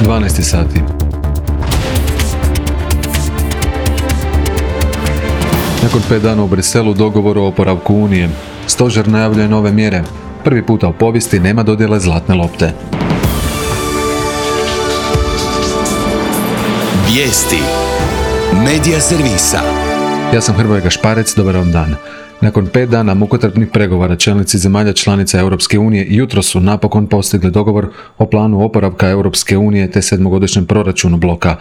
12 sati. Nakon 5 dana u Briselu dogovor o oporavku Unije. Stožer najavljuje nove mjere. Prvi puta u povijesti nema dodjele zlatne lopte. Vijesti Medija servisa. Ja sam Hrvoje Gašparec, dobar vam dan. Nakon 5 dana mukotrpnih pregovora čelnici zemalja članica Europske unije jutros su napokon postigli dogovor o planu oporavka Europske unije te 7-godišnjem proračunu bloka.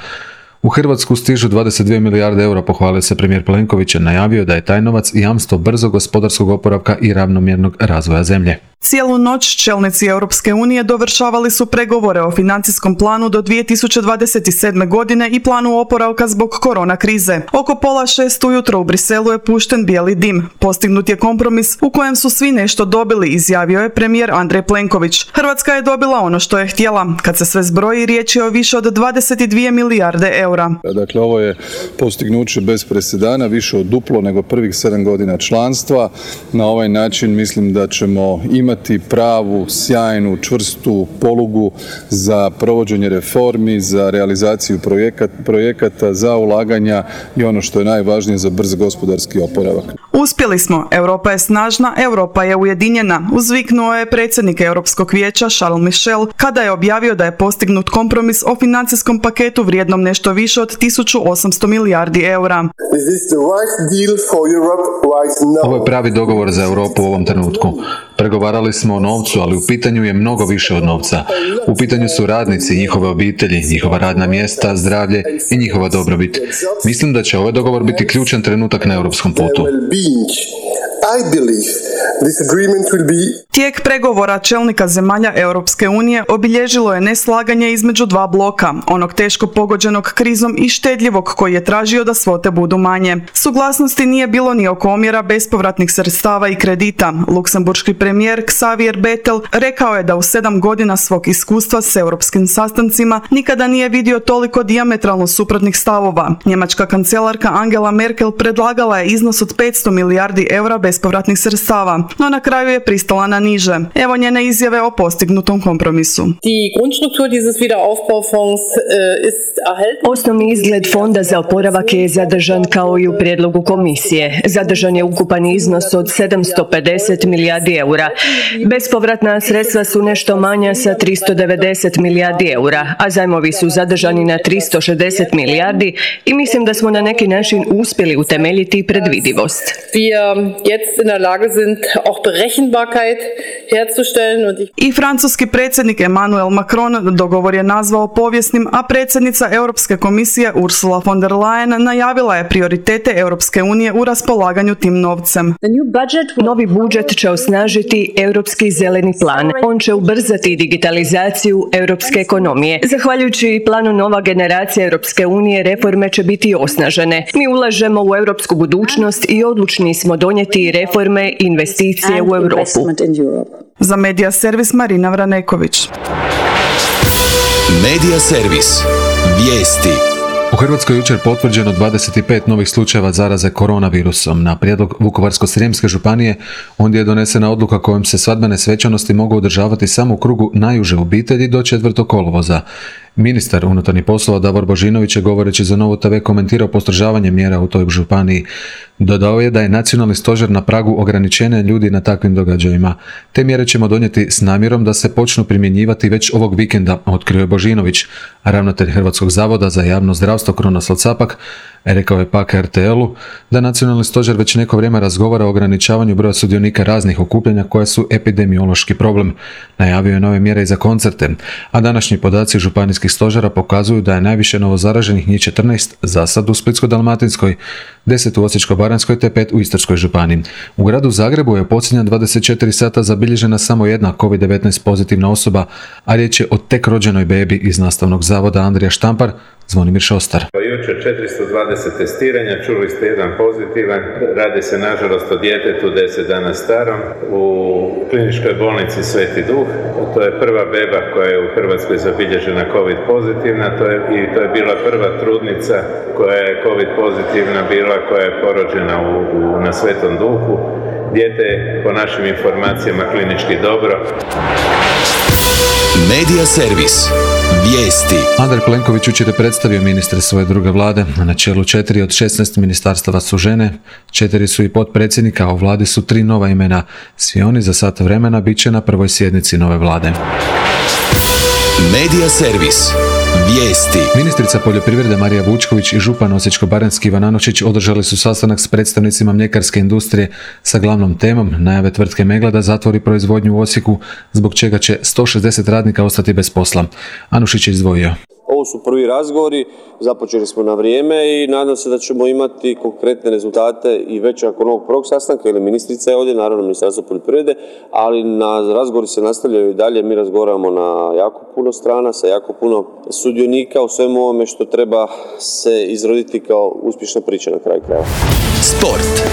U Hrvatsku stižu 22 milijarde eura, pohvalio se premijer Plenković, najavio da je taj novac jamstvo brzog gospodarskog oporavka i ravnomjernog razvoja zemlje. Cijelu noć čelnici Europske unije dovršavali su pregovore o financijskom planu do 2027. godine i planu oporavka zbog korona krize. Oko 5:30 ujutro u Briselu je pušten bijeli dim. Postignut je kompromis u kojem su svi nešto dobili, izjavio je premijer Andrej Plenković. Hrvatska je dobila ono što je htjela. Kad se sve zbroji, riječ je o više od 22 milijarde eura. Dakle, ovo je postignuće bez presedana, više od duplo nego prvih 7 godina članstva. Na ovaj način mislim da ćemo imati pravu, sjajnu, čvrstu polugu za provođenje reformi, za realizaciju projekata, za ulaganja i ono što je najvažnije za brz gospodarski oporavak. Uspjeli smo, Europa je snažna, Europa je ujedinjena, uzviknuo je predsjednik Europskog vijeća Charles Michel kada je objavio da je postignut kompromis o financijskom paketu vrijednom nešto više od 1800 milijardi eura. Ovo je pravi dogovor za Europu u ovom trenutku. Pregovarali smo o novcu, ali u pitanju je mnogo više od novca. U pitanju su radnici, njihove obitelji, njihova radna mjesta, zdravlje i njihova dobrobit. Mislim da će ovaj dogovor biti ključan trenutak na europskom putu. Tijek pregovora čelnika zemalja Europske unije obilježilo je neslaganje između dva bloka, onog teško pogođenog krizom i štedljivog koji je tražio da svote budu manje. Suglasnosti nije bilo ni oko omjera bespovratnih sredstava i kredita. Luksemburški premijer Xavier Bettel rekao je da u 7 godina svog iskustva s europskim sastancima nikada nije vidio toliko dijametralno suprotnih stavova. Njemačka kancelarka Angela Merkel predlagala je iznos od 500 milijardi eura bespovratnih sredstava, no na kraju je pristala na niže. Evo njene izjave o postignutom kompromisu. Osnovni izgled fonda za oporavak je zadržan kao i u prijedlogu komisije. Zadržan je ukupan iznos od 750 milijardi eura. Bespovratna sredstva su nešto manja sa 390 milijardi eura, a zajmovi su zadržani na 360 milijardi i mislim da smo na neki način uspjeli utemeljiti predvidivost. I francuski predsjednik Emmanuel Macron dogovor je nazvao povijesnim, a predsjednica Europske komisije Ursula von der Leyen najavila je prioritete Europske unije u raspolaganju tim novcem. Novi budžet će osnažiti Europski zeleni plan. On će ubrzati digitalizaciju europske ekonomije. Zahvaljujući planu Nova generacija Europske unije, reforme će biti osnažene. Mi ulažemo u europsku budućnost i odlučni smo donijeti reforme i investicije u Europu. Za Medija servis Marina Vraneković. Medija servis. Vijesti. U Hrvatskoj jučer potvrđeno 25 novih slučajeva zaraze koronavirusom. Na prijedlog Vukovarsko-srijemske županije ondje je donesena odluka kojom se svadbene svečanosti mogu održavati samo u krugu najuže obitelji do 4. kolovoza. Ministar unutarnjih poslova Davor Božinović je govoreći za Novu TV komentirao postrožavanje mjera u toj županiji. Dodao je da je nacionalni stožer na pragu ograničenja ljudi na takvim događajima. Te mjere ćemo donijeti s namjerom da se počnu primjenjivati već ovog vikenda, otkrio je Božinović. Ravnatelj Hrvatskog zavoda za javno zdravstvo Krunoslav Capak rekao je pak RTL-u da nacionalni stožer već neko vrijeme razgovara o ograničavanju broja sudionika raznih okupljanja koja su epidemiološki problem. Najavio je nove mjere i za koncerte, a današnji podaci županijskih stožera pokazuju da je najviše novozaraženih njih 14 za sad u Splitsko-dalmatinskoj, 10 u Osječko-baranjskoj te 5 u Istarskoj županiji. U gradu Zagrebu je u posljednja 24 sata zabilježena samo jedna COVID-19 pozitivna osoba, a riječ je o tek rođenoj bebi iz Nastavnog zavoda Andrija Štampar, Zvonimir Šostar. Jučer 420 testiranja, čuli ste jedan pozitivan, radi se nažalost o djetetu 10 dana starom u kliničkoj bolnici Sveti Duh. To je prva beba koja je u Hrvatskoj zabilježena COVID pozitivna, to je bila prva trudnica koja je COVID pozitivna bila, koja je porođena na Svetom Duhu. Dijete je po našim informacijama klinički dobro. Medija servis. Vijesti. Andrej Plenković jučer je predstavio ministre svoje druge vlade. Na čelu 4 od 16 ministarstava su žene, 4 su i potpredsjednika, a u vladi su 3 nova imena. Svi oni za sat vremena bit će na prvoj sjednici nove vlade. Medija servis. Vijesti. Ministrica poljoprivrede Marija Vučković i župan Osječko-baranjski Ivan Anušić održali su sastanak s predstavnicima mljekarske industrije sa glavnom temom najave tvrtke Megla da zatvori proizvodnju u Osijeku, zbog čega će 160 radnika ostati bez posla. Anušić je izdvojio. Ovo su prvi razgovori, započeli smo na vrijeme i nadam se da ćemo imati konkretne rezultate i već nakon ovog prvog sastanka, ili ministrica je ovdje, naravno Ministarstvo poljoprivrede, ali razgovori se nastavljaju i dalje. Mi razgovaramo na jako puno strana, sa jako puno sudionika u svemu ovome što treba se izroditi kao uspješna priča na kraju krajeva. Sport.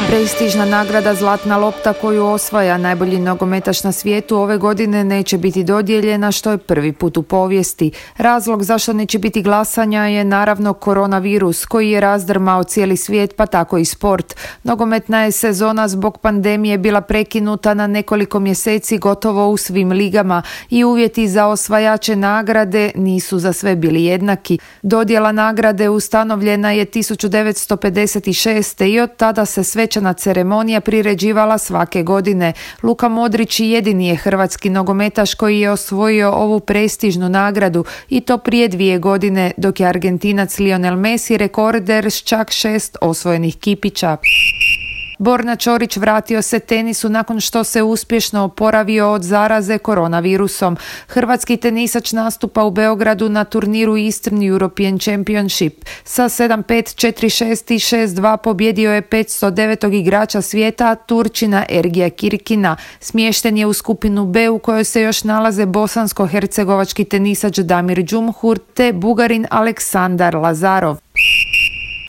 Prestižna nagrada Zlatna lopta koju osvaja najbolji nogometaš na svijetu ove godine neće biti dodijeljena, što je prvi put u povijesti. Razlog zašto neće biti glasanja je naravno koronavirus koji je razdrmao cijeli svijet, pa tako i sport. Nogometna je sezona zbog pandemije bila prekinuta na nekoliko mjeseci gotovo u svim ligama i uvjeti za osvajače nagrade nisu za sve bili jednaki. Dodjela nagrade ustanovljena je 1956. i od tada se svečana ceremonija priređivala svake godine. Luka Modrić jedini je hrvatski nogometaš koji je osvojio ovu prestižnu nagradu i to prije 2 godine, dok je Argentinac Lionel Messi rekorder s čak 6 osvojenih kipića. Borna Ćorić vratio se tenisu nakon što se uspješno oporavio od zaraze koronavirusom. Hrvatski tenisač nastupa u Beogradu na turniru Eastern European Championship. Sa 7-5, 4-6 i 6-2 pobjedio je 509. igrača svijeta, Turčina Ergija Kirkina. Smješten je u skupinu B u kojoj se još nalaze bosansko-hercegovački tenisač Damir Džumhur te Bugarin Aleksandar Lazarov.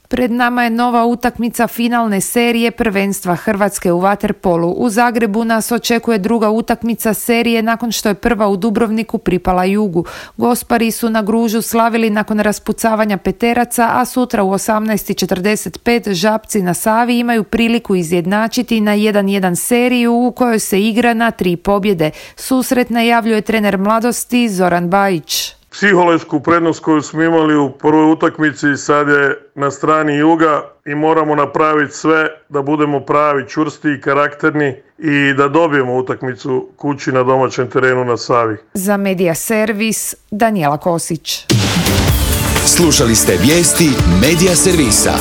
Pred nama je nova utakmica finalne serije prvenstva Hrvatske u vaterpolu. U Zagrebu nas očekuje druga utakmica serije nakon što je prva u Dubrovniku pripala Jugu. Gospari su na Gružu slavili nakon raspucavanja peteraca, a sutra u 18:45 Žabci na Savi imaju priliku izjednačiti na 1-1 seriju u kojoj se igra na 3 pobjede. Susret najavljuje trener mladosti Zoran Bajić. Psihološku prednost koju smo imali u prvoj utakmici sad je na strani Juga i moramo napraviti sve da budemo pravi, čvrsti i karakterni i da dobijemo utakmicu kući na domaćem terenu na Savi. Za Medija servis Danijela Kosić. Slušali ste vijesti Medija servisa.